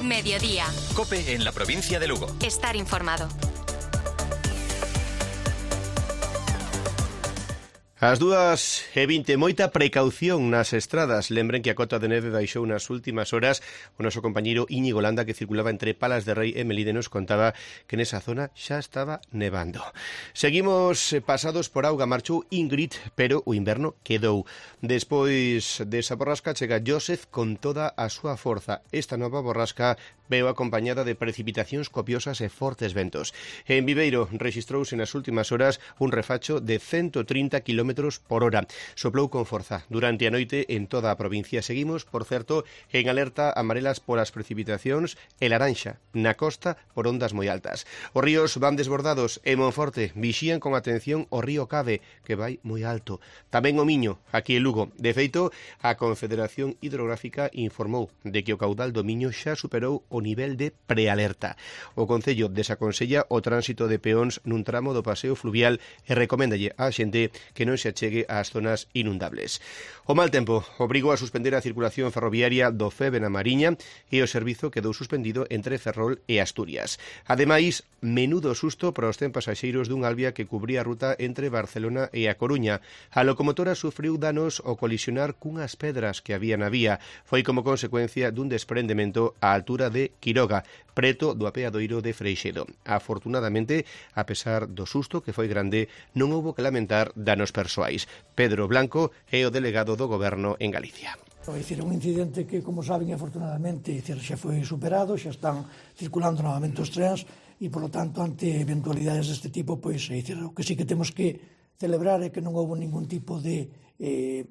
Mediodía. COPE en la provincia de Lugo. Estar informado. As 2:20, moita precaución nas estradas. Lembren que a cota de neve baixou nas últimas horas. O noso compañeiro Íñigo Landa, que circulaba entre Palas de Rei e Melide, nos contaba que nesa zona xa estaba nevando. Seguimos pasados por auga. Marchou Ingrid, pero o inverno quedou. Despois desa borrasca chega Joseph con toda a súa forza. Esta nova borrasca veu acompañada de precipitacións copiosas e fortes ventos. En Viveiro rexistrouse nas últimas horas un refacho de 130 km por hora. Soplou con forza durante a noite en toda a provincia. Seguimos, por certo, en alerta amarelas polas precipitacións e laranxa na costa por ondas moi altas. Os ríos van desbordados en Monforte. Vixían con atención o río Cave, que vai moi alto. Tamén o Miño, aquí en Lugo. De feito, a Confederación Hidrográfica informou de que o caudal do Miño xa superou o nivel de prealerta. O Concello desaconsella o tránsito de peóns nun tramo do paseo fluvial e recoméndalle á xente que non se achegue ás zonas inundables. O mal tempo obrigou a suspender a circulación ferroviaria do Feve na Mariña e o servizo quedou suspendido entre Ferrol e Asturias. Ademais, menudo susto para os 100 pasaxeiros dun Albia que cubría a ruta entre Barcelona e A Coruña. A locomotora sufriu danos ao colisionar cunhas pedras que había na vía. Foi como consecuencia dun desprendemento á altura de Quiroga, preto do apeadoiro de Freixedo. Afortunadamente, a pesar do susto que foi grande, non houbo que lamentar danos persoais. Pedro Blanco é o delegado do Goberno en Galicia. É dicir, un incidente que, como saben, afortunadamente xa foi superado, xa están circulando novamente os trens e, polo tanto, ante eventualidades deste tipo, pois, é dicir, o que sí que temos que celebrar é que non houve ningún tipo de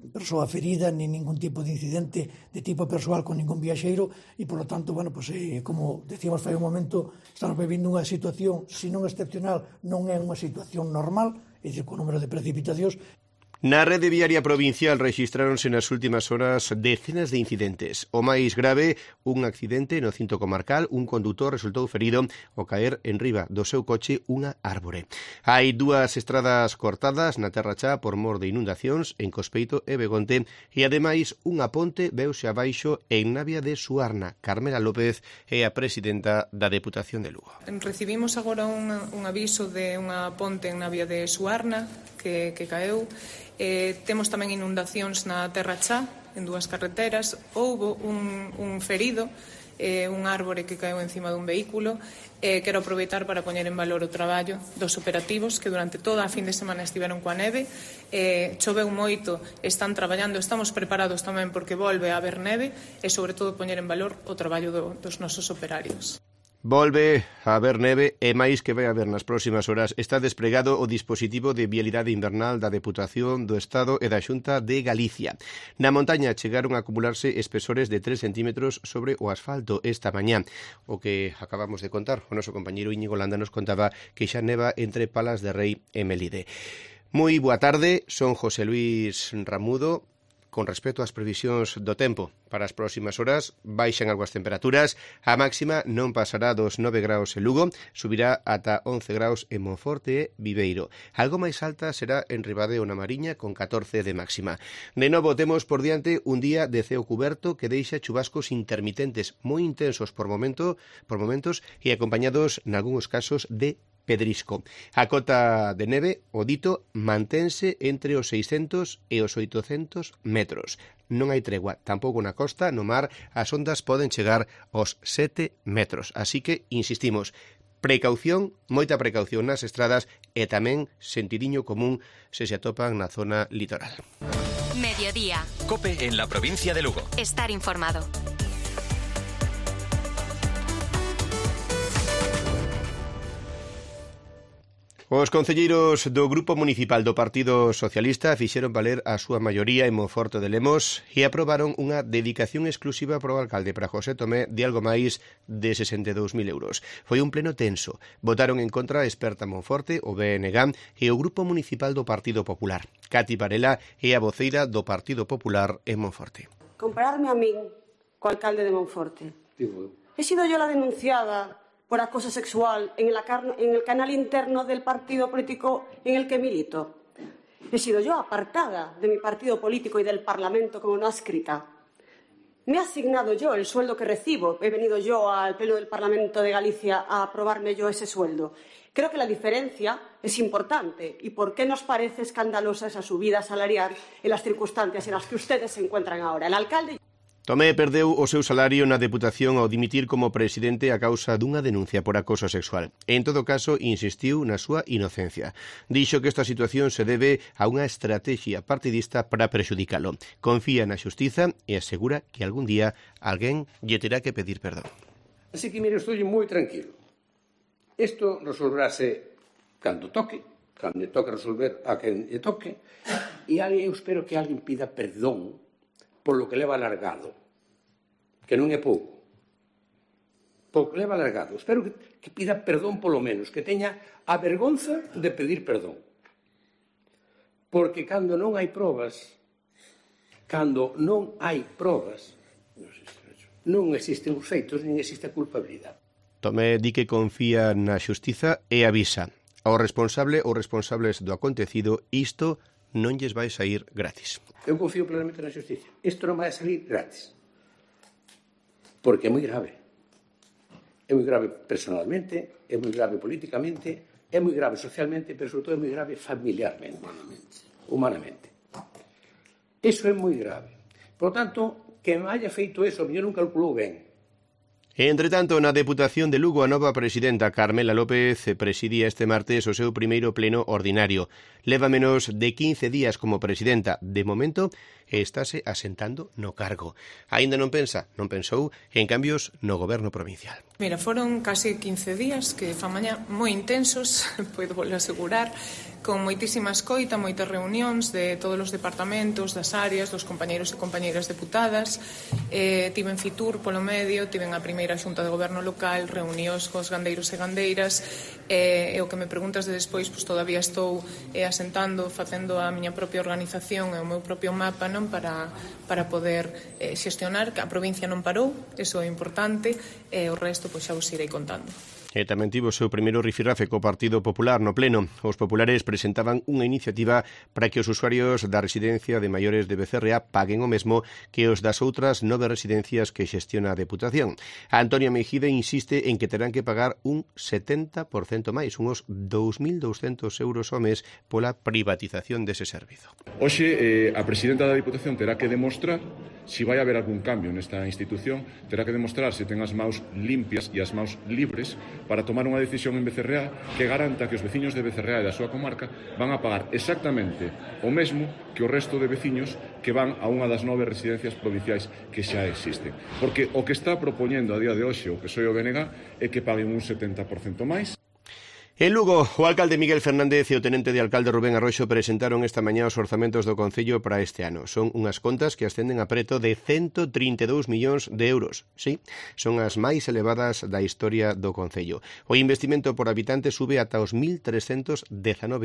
persoa ferida, ni ningún tipo de incidente de tipo persoal con ningún viaxeiro e, polo tanto, bueno, pues, como decíamos fai un momento, estamos vivindo unha situación, se non excepcional, non é unha situación normal, é dicir, con número de precipitacións. Na rede viaria provincial rexistráronse nas últimas horas decenas de incidentes. O máis grave, un accidente no cinto comarcal, un condutor resultou ferido ao caer en riba do seu coche unha árbore. Hai 2 estradas cortadas na Terra Chá por mor de inundacións en Cospeito e Begonte e, ademais, unha ponte veuse abaixo en Navia de Suarna. Carmela López é a presidenta da Deputación de Lugo. Recibimos agora un aviso de unha ponte en Navia de Suarna que caeu. Temos tamén inundacións na Terra Chá, en 2 carreteras. Houbo un ferido, un árbore que caeu encima dun vehículo. Quero aproveitar para poñer en valor o traballo dos operativos que durante toda a fin de semana estiveron coa neve. Choveu moito, están traballando, estamos preparados tamén porque volve a haber neve e, sobre todo, poñer en valor o traballo dos nosos operarios. Volve a haber neve e máis que vai haber nas próximas horas. Está desplegado o dispositivo de vialidade invernal da Deputación do Estado e da Xunta de Galicia. Na montaña chegaron a acumularse espesores de 3 centímetros sobre o asfalto esta mañá. O que acabamos de contar, o noso compañeiro Íñigo Landa nos contaba que xa neva entre Palas de Rei e Melide. Moi boa tarde, son José Luis Ramudo. Con respecto ás previsións do tempo para as próximas horas, baixan algo as temperaturas, a máxima non pasará dos 9 graus en Lugo, subirá ata 11 graus en Monforte e Viveiro. Algo máis alta será en Ribadeo na Mariña, con 14 de máxima. De novo, temos por diante un día de ceo cuberto que deixa chubascos intermitentes moi intensos por momentos e acompañados, nalgúns casos, de pedrisco. A cota de neve, o dito, mantense entre os 600 e os 800 metros. Non hai tregua, tampouco na costa, no mar, as ondas poden chegar aos 7 metros. Así que, insistimos, precaución, moita precaución nas estradas e tamén sentidiño común se atopan na zona litoral. Mediodía. COPE en la provincia de Lugo. Estar informado. Os concelleiros do Grupo Municipal do Partido Socialista fixeron valer a súa maioría en Monforte de Lemos e aprobaron unha dedicación exclusiva para o alcalde, para José Tomé, de algo máis de 62.000 euros. Foi un pleno tenso. Votaron en contra a experta Monforte, o BNG, e o Grupo Municipal do Partido Popular. Cati Varela é a voceira do Partido Popular en Monforte. Compararme a min co alcalde de Monforte. He sido yo la denunciada por acoso sexual en el canal interno del partido político en el que milito. He sido yo apartada de mi partido político y del Parlamento como no adscrita. Me he asignado yo el sueldo que recibo. He venido yo al Pleno del Parlamento de Galicia a aprobarme yo ese sueldo. Creo que la diferencia es importante. ¿Y por qué nos parece escandalosa esa subida salarial en las circunstancias en las que ustedes se encuentran ahora? El alcalde... Tomé perdeu o seu salario na Deputación ao dimitir como presidente a causa dunha denuncia por acoso sexual. En todo caso, insistiu na súa inocencia. Dixo que esta situación se debe a unha estrategia partidista para prexudicalo. Confía na xustiza e asegura que algún día alguén lle terá que pedir perdón. Así que, mire, estou moi tranquilo. Isto resolverase cando toque resolver a quen lle toque, e eu espero que alguén pida perdón polo que leva alargado, que non é pouco. Polo que leva alargado. Espero que pida perdón polo menos, que teña a vergonza de pedir perdón. Porque cando non hai probas, non existen os feitos, nin existe a culpabilidade. Tomé di que confía na xustiza e avisa. Ao responsable ou responsables do acontecido, isto non lles vai sair gratis. Eu confío plenamente na xusticia. Isto non vai salir gratis. Porque é moi grave. É moi grave personalmente, é moi grave políticamente, é moi grave socialmente, pero sobre todo é moi grave familiarmente, humanamente. Iso é moi grave. Por tanto, que me haya feito eso, a mellor non calculou ben. Entre tanto, na Deputación de Lugo, a nova presidenta Carmela López presidía este martes o seu primeiro pleno ordinario. Leva menos de 15 días como presidenta. De momento, estáse asentando no cargo. Aínda non pensou en cambios no goberno provincial. Mira, foron casi 15 días que fan mañá moi intensos, podo volver a asegurar, con moitísima escoita, moitas reunións de todos os departamentos, das áreas, dos compañeiros e compañeiras deputadas. Tiven Fitur polo medio, tiven a primeira xunta de goberno local, reunións cos gandeiros e gandeiras, e o que me preguntas de despois, pois todavía estou asentando, facendo a miña propia organización e o meu propio mapa, non, para poder xestionar, que a provincia non parou, eso é importante, e o resto pois xa vos irei contando. E tamén tivo o seu primeiro rifirrafe co Partido Popular no Pleno. Os populares presentaban unha iniciativa para que os usuarios da residencia de maiores de Becerrea paguen o mesmo que os das outras 9 residencias que xestiona a Deputación. Antonio Mejide insiste en que terán que pagar un 70% máis, uns 2.200 euros ao mes pola privatización dese servizo. Hoxe, a presidenta da Diputación terá que demostrar se vai haber algún cambio nesta institución, terá que demostrar se ten as maus limpias e as maus libres para tomar unha decisión en Becerrea que garanta que os veciños de Becerrea e da súa comarca van a pagar exactamente o mesmo que o resto de veciños que van a unha das 9 residencias provinciais que xa existen. Porque o que está propoñendo a día de hoxe o PSOE e o BNG é que paguen un 70% máis. En Lugo, o alcalde Miguel Fernández e o tenente de alcalde Rubén Arroxo presentaron esta mañá os orzamentos do Concello para este ano. Son unhas contas que ascenden a preto de 132 millóns de euros. Sí, son as máis elevadas da historia do Concello. O investimento por habitante sube ata os 1.319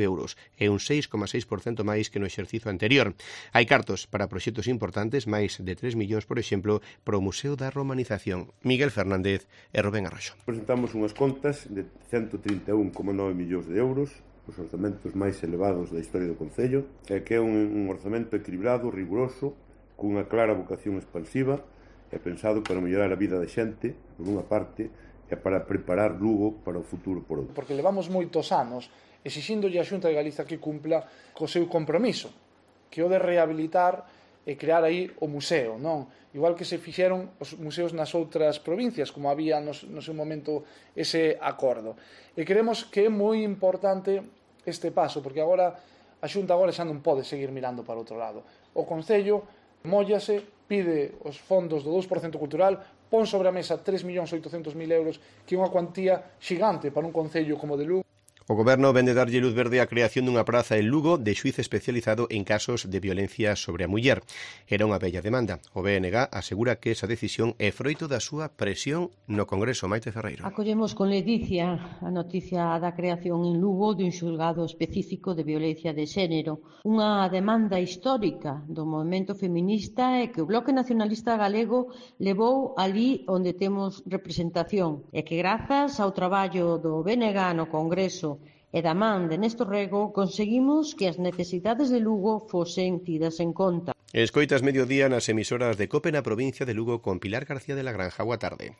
euros, e un 6,6% máis que no exercicio anterior. Hai cartos para proxectos importantes, máis de 3 millóns, por exemplo, para o Museo da Romanización. Miguel Fernández e Rubén Arroxo. Presentamos unhas contas de 131,9 millóns de euros, os orzamentos máis elevados da historia do Concello, e que é un orzamento equilibrado, riguroso, cunha clara vocación expansiva e pensado para mellorar a vida da xente, por unha parte, e para preparar Lugo para o futuro por outra. Porque levamos moitos anos exixíndolle a Xunta de Galiza que cumpla co seu compromiso, que o de rehabilitar e crear aí o museo, non? Igual que se fixeron os museos nas outras provincias, como había no seu momento ese acordo. E creemos que é moi importante este paso, porque agora a Xunta agora xa non pode seguir mirando para outro lado. O Concello móllase, pide os fondos do 2% cultural, pon sobre a mesa 3.800.000 euros, que é unha cuantía xigante para un Concello como de Lugo. O Goberno vende darlle luz verde á creación dunha praza en Lugo de xuíz especializado en casos de violencia sobre a muller. Era unha bella demanda. O BNG asegura que esa decisión é froito da súa presión no Congreso. Maite Ferreiro. Acollemos con ledicia a noticia da creación en Lugo dun xulgado específico de violencia de xénero. Unha demanda histórica do movemento feminista e que o Bloque Nacionalista Galego levou ali onde temos representación e que grazas ao traballo do BNG no Congreso e da man de Néstor Rego conseguimos que as necesidades de Lugo fosen tidas en conta. Escoitas Mediodía nas emisoras de COPE na provincia de Lugo con Pilar García de la Granja. Boa tarde.